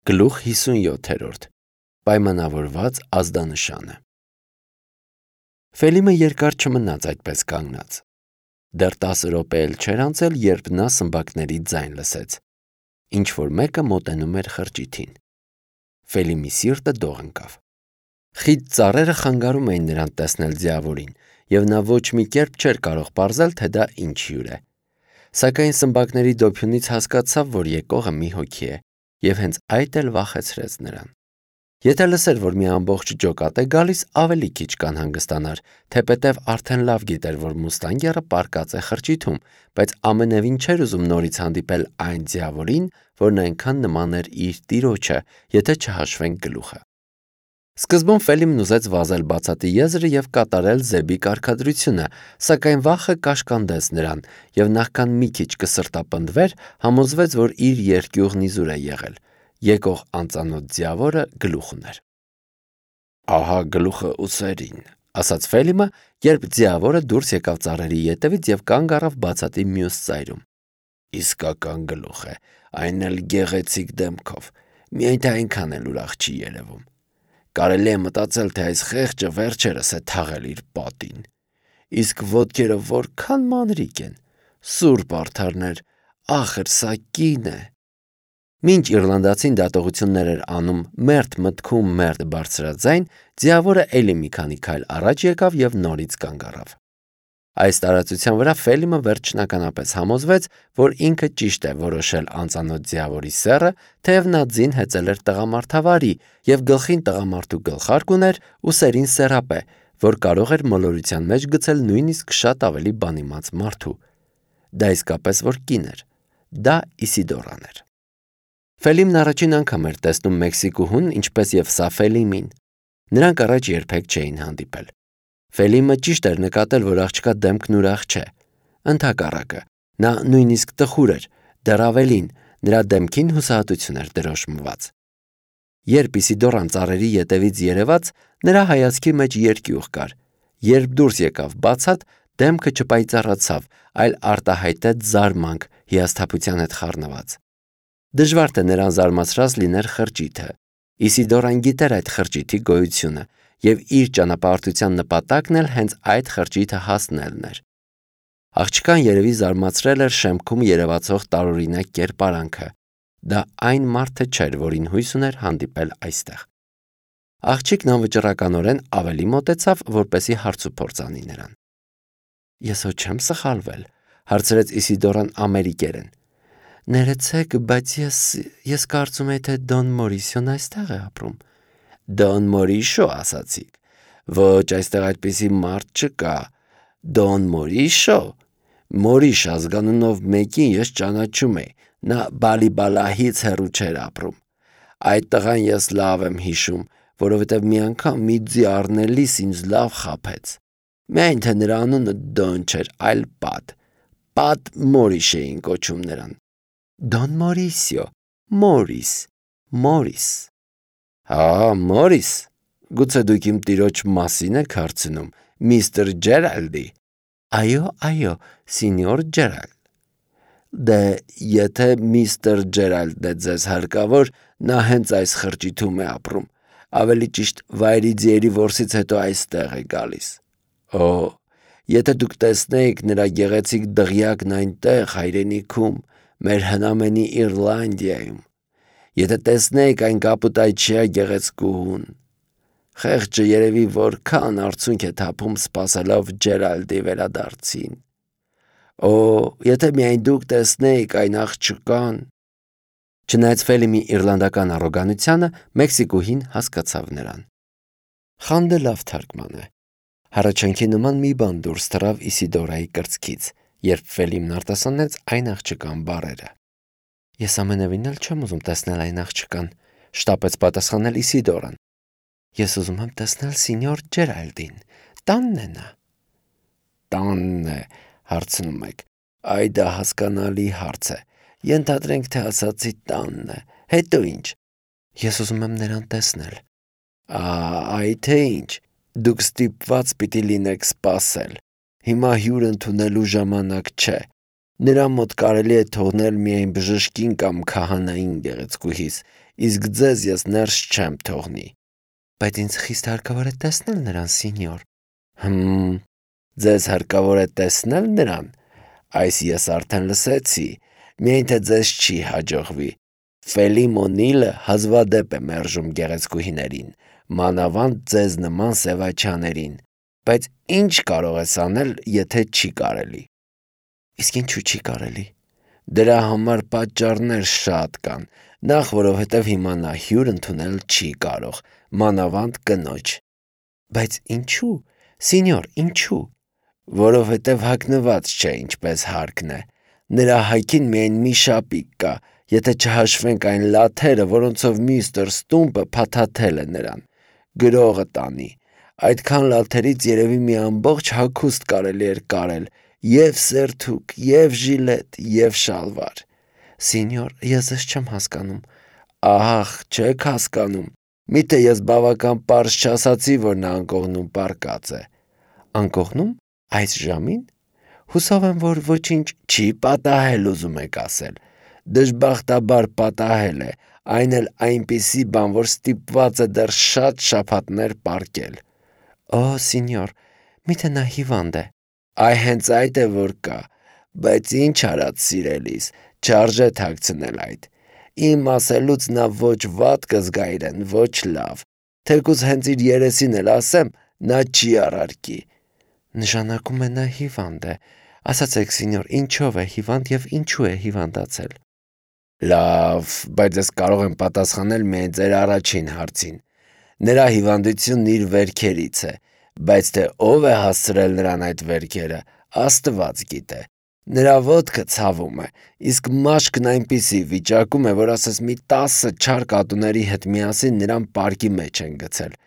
Գլուխ 57 Պայմանավորված ազդանշանը Ֆելիմը երկար չմնաց այդպես կանգնած։ Դեռ 10 րոպե էլ չէր անցել, երբ նա սմբակների ձայն լսեց։ Ինչ-որ մեկը մոտենում էր խրճիթին։ Ֆելիմի սիրտը դող ընկավ։ Խիտ ծառերը խանգարում էին նրան տեսնել ձիավորին, և նա ոչ մի կերպ չէր կարող պարզել, թե դա ինչ հյուր է։ Սակայն սմբակների դոփյունից հասկացավ, որ եկողը մի հոգի է, և հենց այդ էլ վախեցրեց նրան։ Եթե լսեր, որ մի ամբողջ ջոկատ է գալիս, ավելի քիչ կանհանգստանար, թեպետև արդեն լավ գիտեր, որ մուստանգերը պառկած է խրճիթում, բայց ամենևին չէր ուզում նորից հանդիպել այն ձիավորին, որն այնքան նման էր իր տիրոջը, եթե չհաշվենք գլուխը։ Սկզբում Ֆելիմն ուզեց վազել բացատի եզրը և կատարել Զեբի կարգադրությունը, սակայն վախը կաշկանդեց նրան, և նախքան մի քիչ կսրտապնդվեր, համոզվեց, որ իր երկյուղն իզուր է եղել։ Եկող անծանոթ ձիավորը գլուխ ուներ։ «Ահա գլուխը ուսերին», ասաց Ֆելիմը, երբ ձիավորը դուրս եկավ ծառերի ետևից և կանգ առավ բացատի մյուս ծայրում։ «Իսկական գլուխ է, այն էլ գեղեցիկ դեմքով, միայն թե այնքան էլ ուրախ չի երևում։ Կարելի է մտածել, թե այս խեղճը վերջերս է թաղել իր պատին։ Իսկ ոտքերը որքան մանրիկ են, սուրբ արդարներ, ախր սա կին է»։ Մինչ իռլանդացին դատողություններ էր անում մերթ մտքում մերթ բարձրաձայն, ձիավորը էլի մի քանի քայլ առաջ եկավ և նորից կանգ առավ։ Այս տարածության վրա Ֆելիմը վերջնականապես համոզվեց, որ ինքը ճիշտ է որոշել անծանոթ ձիավորի սեռը, թեև նա ձին հեծել էր տղամարդավարի և գլխին տղամարդու գլխարկ ուներ ու սերին սեռապե, որ կարող էր մոլորության մեջ գցել նույնիսկ շատ ավելի բանիմաց մարդու։ Դա իսկապես որ կին էր։ Դա Իսիդորան էր։ Ֆելիմն առաջին անգամ էր տեսնում մեքսիկուհուն, ինչպես և սա Ֆելիմին։ Նրանք առաջ երբեք չէին հանդիպել։ Ֆելիմը ճիշտ էր նկատել, որ աղջկա դեմքն ուրախ չէ։ Ընդհակառակը, նա նույնիսկ տխուր էր, դեռ ավելին, նրա դեմքին հուսահատություն էր դրոշմված։ Երբ Իսիդորան ծառերի ետևից երևաց, նրա հայացքի մեջ երկյուղ կար։ Երբ դուրս եկավ բացատ, դեմքը չպայծառացավ, այլ արտահայտեց զարմանք հիասթափության հետ խառնված։ Դժվար թե նրան զարմացրած լիներ խրճիթը։ Իսիդորան գիտեր այդ խրճիթի գոյությունը, և իր ճանապարհորդության նպատակն էլ հենց այդ խրճիթը հասնելն էր։ Աղջկան երևի զարմացրել էր շեմքում երևացող տարօրինակ կերպարանքը։ Դա այն մարդը չէր, որին հույս ուներ հանդիպել այստեղ։ Աղջիկն անվճռականորեն ավելի մոտեցավ, որպեսզի հարցուփորձ անի նրան։ «Ես հո չեմ սխալվել», հարցրեց Իսիդորան ամերիկերեն։ «Ներեցեք, բայց ես կարծում էի, թե Դոն Մորիսիոն այստեղ է ապրում»։ «Դոն Մորիշո ասացիք։ Ոչ, այստեղ այդպիսի մարդ չկա։ Դոն Մորիշո։ Մորիշ ազգանունով մեկին ես ճանաչում էի, նա Բալիբալահից հեռու չէր ապրում։ Այդ տղան ես լավ եմ հիշում, որովհետև մի անգամ մի ձի առնելիս ինձ լավ խաբեց։ Միայն թե նրա անունը Դոն չէր, այլ Պատ։ Պատ Մորիշ էին կոչում նրան»։ «Դոն Մորիսիո, Մորիս։ Հա, Մորիս։ Գուցե դուք իմ տիրոջ մասին եք հարցնում, միստր Ջերալդի»։ Այո, սինյոր Ջերալդ։ Դե, եթե միստր Ջերալդն է ձեզ հարկավոր, նա հենց այս խրճիթում է ապրում, ավելի ճիշտ վայրի ձիերի որսից հետո այստեղ է գալիս։ Օ, եթե դուք տեսնեիք նրա գեղեցիկ դղյակն այնտեղ հայրենիքում, մեր հնամենի Իռլանդիայում, եթե տեսնեիք այն կապուտայչյա գեղեցկուհուն։ Խեղճը երևի որքան արցունք է թափում սպասելով Ջերալդի վերադարձին։ Օ, եթե միայն դուք տեսնեիք այն աղջկան։ Չնայած Ֆելիմի իռլանդական առոգանությանը, մեքսիկուհին հասկացավ նրան։ Խանդը լավ թարգման է։ Հառաչանքի նման մի բան դուրս թռավ Իսիդորայի կրծքից, երբ Ֆելիմն արտասանեց այն աղջկան բառերը։ Ես ամենևին էլ չեմ ուզում տեսնել այն աղջկան, շտապեց պատասխանել Իսիդորան։ Ես ուզում եմ տեսնել սինյոր Ջերալդին։ Տանն է նա։ Տանն է, հարցնում եք։ Այ դա հասկանալի հարց է։ Ենթադրենք, թե ասացի տանն է։ Հետո ինչ։ Ես ուզում եմ նրան տեսնել։ Այ թե ինչ։ Դուք ստիպված պիտի լինեք սպասել։ Հիմա հյուր ընդունելու ժամանակ չէ։ Նրա մոտ կարելի է թողնել միայն բժշկին կամ քահանային գեղեցկուհիս, իսկ ձեզ ես ներս չեմ թողնի։ Բայց ինձ խիստ հարկավոր է տեսնել նրան, սինյոր։ Ձեզ հարկավոր է տեսնել նրան։ Այս ես արդեն լսեցի, միայն թե ձեզ չի հաջողվի։ Ֆելիմ Օնիլը հազվադեպ է մերժում գեղեցկուհիներին, մանավանդ ձեզ նման սևաչաներին, բայց ինչ կարող ես անել, եթե չի կարելի։ Իսկ ինչու չի կարելի։ Դրա համար պատճառներ շատ կան, նախ որովհետև հիմա նա հյուր ընդունել չի կարող, մանավանդ կնոջ։ Բայց ինչու, սինյոր, ինչու։ Որովհետև հագնված չէ, ինչպես հարկն է։ Նրա հայքին միայն մի շապիկ կա, եթե չհաշվենք այն լաթերը, որոնցով միստր Ստումպը փաթաթել է նրան։ Գրողը տանի։ Այդքան լաթերից երևի մի ամբողջ հագուստ կարելի էր կարել, և սերթուկ, և ժիլետ, և շալվար։ Սինյոր, ես ձեզ չեմ հասկանում։ Ահ, չեք հասկանում։ Միթե ես բավական պարզ չասացի, որ նա անկողնում պառկած է։ Անկողնում։ Այս ժամին։ Հուսով եմ, որ ոչինչ չի պատահել, ուզում եք ասել։ Դժբախտաբար պատահել է, այն էլ այնպիսի բան, որ ստիպված է դեռ շատ շաբաթներ պառկել։ Օ, սինյոր, միթե նա հիվանդ է։ Այ հենց այդ է որ կա, բայց ինչ արած սիրելիս, չարժե թաքցնել այդ։ Իմ ասելուց նա ոչ վատ կզգա իրեն, ոչ լավ։ Թեկուզ հենց իր երեսին էլ ասեմ, նա չի առարկի։ Նշանակում է նա հիվանդ է։ Ասացեք, սինյոր, ինչով է հիվանդ և ինչու է հիվանդացել։ Լավ, բայց ես կարող եմ պատասխանել միայն ձեր առաջին հարցին։ Նրա հիվանդությունն իր վերքերից է, բայց թե ով է հասցրել նրան այդ վերքերը, Աստված գիտե։ Նրա ոտքը ցավում է, իսկ մաշկն այնպիսի վիճակում է, որ ասես մի 10 չար կատուների հետ միասին նրան պարկի մեջ են գցել։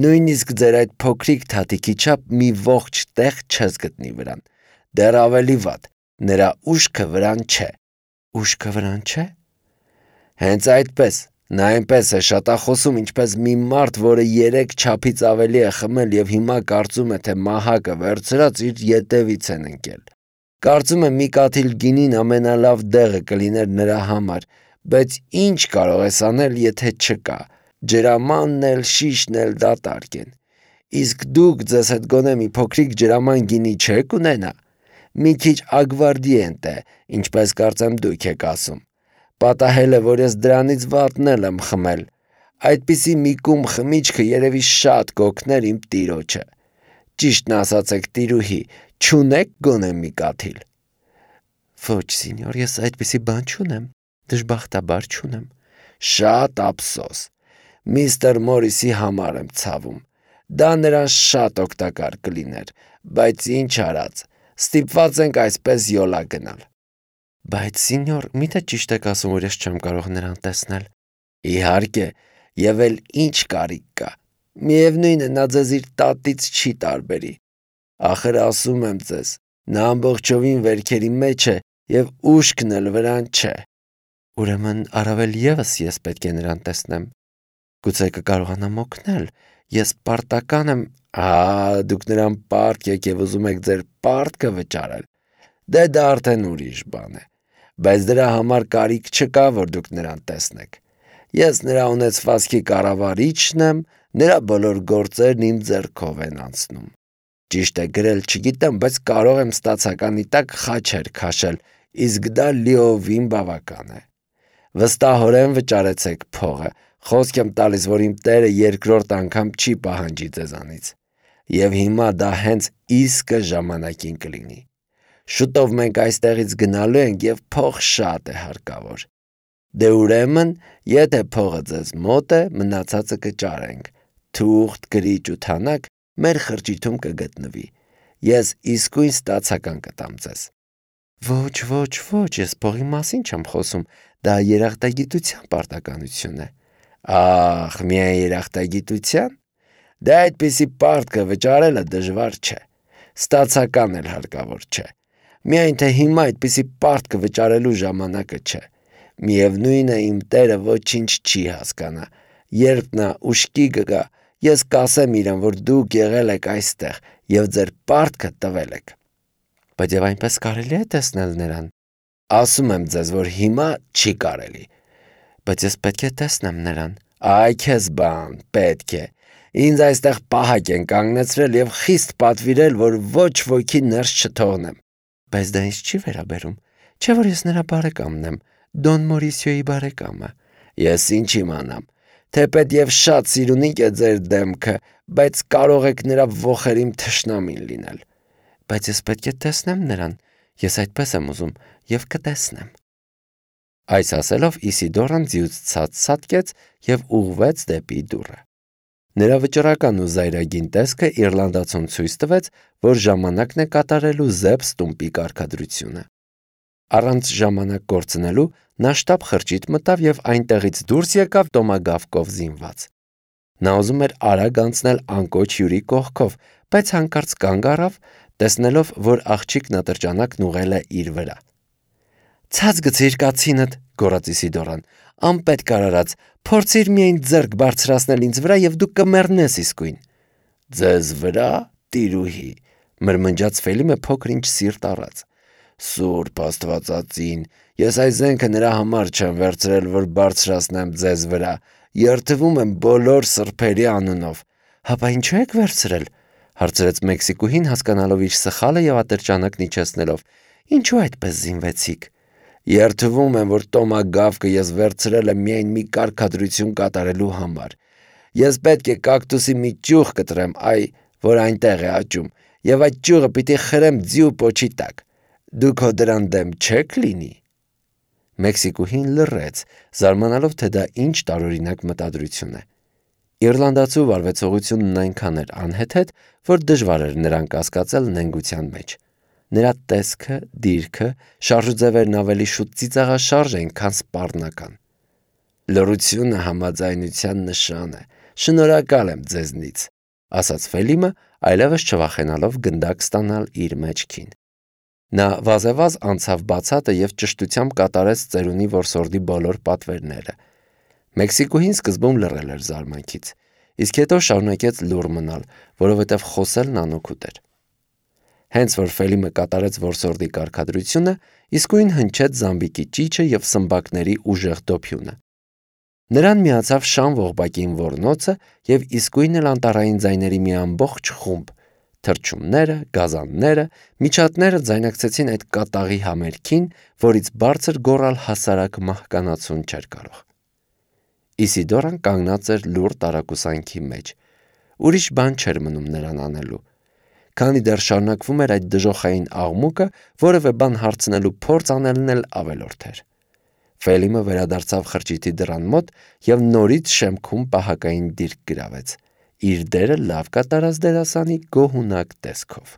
Նույնիսկ ձեր այդ փոքրիկ թաթիկի չափ մի ողջ տեղ չես գտնի վրան։ Դեռ ավելի վատ, նրա ուշքը վրան չէ։ Ուշքը վրան չէ։ Հենց այդպես, նա այնպես է շատախոսում, ինչպես մի մարդ, որը 3 չափից ավելի է խմել և հիմա կարծում է, թե մահակը վերցրած իր ետևից են ընկել։ Կարծում է մի կաթիլ գինին ամենալավ դեղը կլիներ նրա համար, բայց ինչ կարող ես անել, եթե չկա։ Ջրամանն էլ, շիշն էլ դատարկ են։ Իսկ դուք ձեզ հետ գոնե մի փոքրիկ ջրաման գինի չեք ունենա։ Մի քիչ ագվարդիենտ է, ինչպես կարծեմ դուք եք ասում։ Պատահել է, որ ես դրանից վատն էլ եմ խմել։ Այդպիսի մի կում խմիչքը երևի շատ կօգներ իմ տիրոջը։ Ճիշտն ասացեք, տիրուհի, չունեք գոնե մի կաթիլ։ Ոչ, սինյոր, ես այդպիսի բան չունեմ, դժբախտաբար չունեմ։ Շատ ափսոս։ Միստր Մորիսի համար եմ ցավում։ Դա նրան շատ օգտակար կլիներ, բայց ինչ արած, ստիպված ենք այսպես յոլա գնալ։ Բայց սինյոր, միթե ճիշտ եք ասում, որ ես չեմ կարող նրան տեսնել։ Իհարկե, եւ էլ ինչ կարիք կա։ Միևնույն է, նա ձեզ իր տատից չի տարբերի։ Ախր ասում եմ ձեզ, նա ամբողջովին վերքերի մեջ է եւ ուշքն էլ վրան չէ։ Ուրեմն առավել եւս ես պետք է նրան տեսնեմ։ Գուցե կկարողանամ օգնել։ Ես պարտական եմ։ Դուք նրան պարտք եք եւ ուզում եք ձեր պարտքը վճարել։ Դե դա արդեն ուրիշ բան է։ Բայց դրա համար կարիք չկա, որ դուք նրան տեսնեք։ Ես նրա ունեցվածքի կառավարիչն եմ, նրա բոլոր գործերն իմ ձեռքով են անցնում։ Ճիշտ է, գրել չգիտեմ, բայց կարող եմ ստացականի տակ խաչեր քաշել, իսկ դա լիովին բավական է։ Վստահորեն վճարեցեք փողը, խոսք եմ տալիս, որ իմ տերը երկրորդ անգամ չի պահանջի ձեզանից։ Եվ հիմա դա հենց իսկը ժամանակին կլինի։ Շուտով մենք այստեղից գնալու ենք և փող շատ է հարկավոր։ Դե ուրեմն, եթե փողը ձեզ մոտ է, մնացածը կճարենք։ Թուղթ, գրիչ ու թանակ մեր խրճիթում կգտնվի։ Ես իսկույն ստացական կտամ ձեզ։ Ոչ, ես փողի մասին չեմ խոսում, դա երախտագիտության պարտականություն է։ Ախ, միայն երախտագիտության։ Դե այդպիսի պարտքը վճարելը դժվար չէ։ Ստացական էլ հարկավոր չէ։ Միայն թե հիմա այդպիսի պարտքը վճարելու ժամանակը չէ։ Միևնույն է, իմ տերը ոչինչ չի հասկանա։ Երբ նա ուշքի կգա, ես կասեմ իրան, որ դուք եղել եք այստեղ և ձեր պարտքը տվել եք։ Բայց եւ այնպես կարելի է տեսնել նրան։ Ասում եմ ձեզ, որ հիմա չի կարելի։ Բայց ես պետք է տեսնեմ նրան։ Այ քեզ բան, պետք է։ Ինձ այստեղ պահակ են կանգնեցրել եւ խիստ պատվիրել, որ ոչ ոքի ներս չթողնեմ։ Բայց դա ինձ չի վերաբերում։ Չէ՞ որ ես նրա բարեկամն եմ, Դոն Մորիսիոյի բարեկամը։ Ես ինչ իմանամ։ Թեպետ եւ շատ սիրունիկ է ձեր դեմքը, բայց կարող եք նրա ոխերիմ թշնամին լինել։ Բայց ես պետք է տեսնեմ նրան։ Ես այդպես եմ ուզում եւ կտեսնեմ։ Այս ասելով Իսիդորան ձիուց ցած-ցատկեց եւ ուղղվեց դեպի դուռը։ Նրա վճռական ու զայրագին տեսքը իռլանդացուն ցույց տվեց, որ ժամանակն է կատարելու Զեփ Ստումպի կարգադրությունը։ Առանց ժամանակ կորցնելու նա շտապ խրճիթ մտավ եւ այնտեղից դուրս եկավ տոմագավկով զինված։ Նա ուզում էր արագ անցնել անկոչ հյուրի կողքով, բայց հանկարծ կանգ առավ, տեսնելով, որ աղջիկն ատրճանակն ուղղել է իր վրա։ «Ցած գցիր կացինդ», գոռաց Իսիդորան, «անպետք արարած, փորձիր միայն ձեռք բարձրացնել ինձ վրա եւ դու կմեռնես իսկույն»։ «Ձեզ վրա, տիրուհի», մրմնջաց Ֆելիմը փոքր-ինչ սիրտ առած։ «Սուրբ Աստվածածին, ես այս զենքը նրա համար չեմ վերցրել, որ բարձրացնեմ ձեզ վրա, երդվում եմ բոլոր սրբերի անունով»։ «Հապա ինչու եք վերցրել», հարցրեց Մեքսիկուհին, հասկանալով իր սխալը եւ ատրճանակն իջեցնելով։ «Ինչու այդպես զինվեցիք»։ «Երդվում եմ, որ տոմագավկը ես վերցրել եմ միայն մի կարգադրություն կատարելու համար։ Ես պետք է կակտուսի մի ճյուղ կտրեմ, որ այնտեղ է աճում, եւ այդ ճյուղը պիտի խրեմ ձիու պոչի տակ։ Դուք հո դրան դեմ չեք լինի»։ Մեքսիկուհին լռեց, զարմանալով, թե դա ինչ տարօրինակ մտադրություն է։ Իռլանդացու վարվեցողությունն այնքան էր անհեթեթ, որ դժվար էր նրան կասկածել նենգության մեջ։ Նրա տեսքը, դիրքը, շարժուձևերն ավելի շուտ ծիծաղաշարժ էին, քան սպառնական։ «Լռությունը համաձայնության նշան է։ Շնորհակալ եմ ձեզնից», ասաց Ֆելիմը, այլևս չվախենալով գնդակ ստանալ իր մեջքին։ Նա վազեվազ անցավ բացատը եւ ճշտությամբ կատարեց ծերունի որսորդի բոլոր պատվերները։ Մեքսիկուհին սկզբում լռել էր զարմանքից, իսկ հետո շարունակեց լուռ մնալ, որովհետև խոսելն անօգուտ էր։ Հենց որ Ֆելիմը կատարեց որսորդի կարգադրությունը, իսկույն հնչեց զամբիկի ճիչը եւ սմբակների ուժեղ դոփյունը։ Նրան միացավ Շան Ողբակին ոռնոցը եւ իսկույն էլ անտառային ձայների մի ամբողջ խումբ։ Թռչունները, գազանները, միջատները ձայնակցեցին այդ կատաղի համերգին, որից բարձր գոռալ հասարակ մահկանացուն չէր կարող։ Իսիդորան կանգնած էր լուռ տարակուսանքի մեջ։ Ուրիշ բան չէր մնում նրան անելու։ Քանի դեռ շարունակվում էր այդ դժոխային աղմուկը, որևէ բան հարցնելու փորձ անելն էլ ավելորդ էր։ Ֆելիմը վերադարձավ խրճիթի դռան մոտ եւ նորից շեմքում պահակային դիրք գրավեց, իր դերը լավ կատարած դերասանի գոհունակ տեսքով։